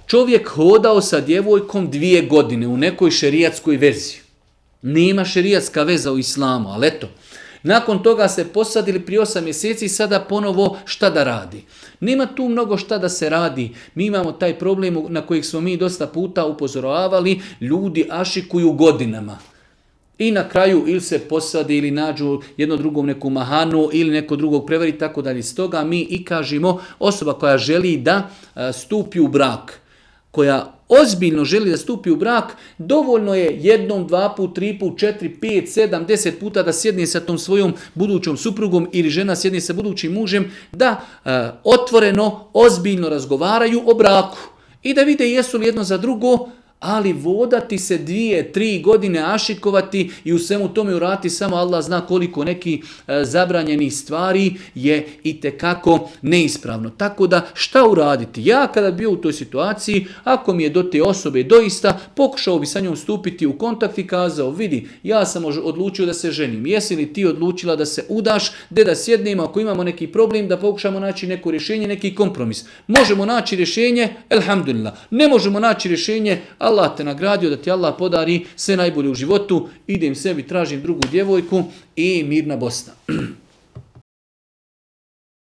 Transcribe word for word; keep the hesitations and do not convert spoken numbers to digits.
čovjek hodao sa djevojkom dvije godine u nekoj šerijatskoj vezi. Nema šerijatska veza u islamu, ali eto. Nakon toga se posadili prije osam mjeseci i sada ponovo šta da radi. Nema tu mnogo šta da se radi. Mi imamo taj problem na kojeg smo mi dosta puta upozoravali. Ljudi ašikuju godinama. I na kraju ili se posadi ili nađu jedno drugom neku mahanu ili neko drugog prevari i tako dalje. Stoga mi i kažemo osoba koja želi da stupi u brak, koja ozbiljno želi da stupi u brak, dovoljno je jednom, dva put, tri put, četiri, pet, sedam, deset puta da sjedne sa tom svojom budućom suprugom ili žena sjedne sa budućim mužem, da e, otvoreno, ozbiljno razgovaraju o braku i da vide jesu li jedno za drugo, ali vodati se dvije, tri godine, ašikovati i u svemu tome urati samo Allah zna koliko neki e, zabranjenih stvari je itekako neispravno. Tako da šta uraditi? Ja kada bio u toj situaciji, ako mi je do te osobe doista, pokušao bi sa njom stupiti u kontakt i kazao, vidi, ja sam odlučio da se ženim. Jesi li ti odlučila da se udaš, gdje da sjednemo, ako imamo neki problem, da pokušamo naći neko rješenje, neki kompromis. Možemo naći rješenje, elhamdulillah. Ne možemo naći rješenje, Allah te nagradio da ti Allah podari sve najbolje u životu, idem sebi, tražim drugu djevojku i mirna Bosna.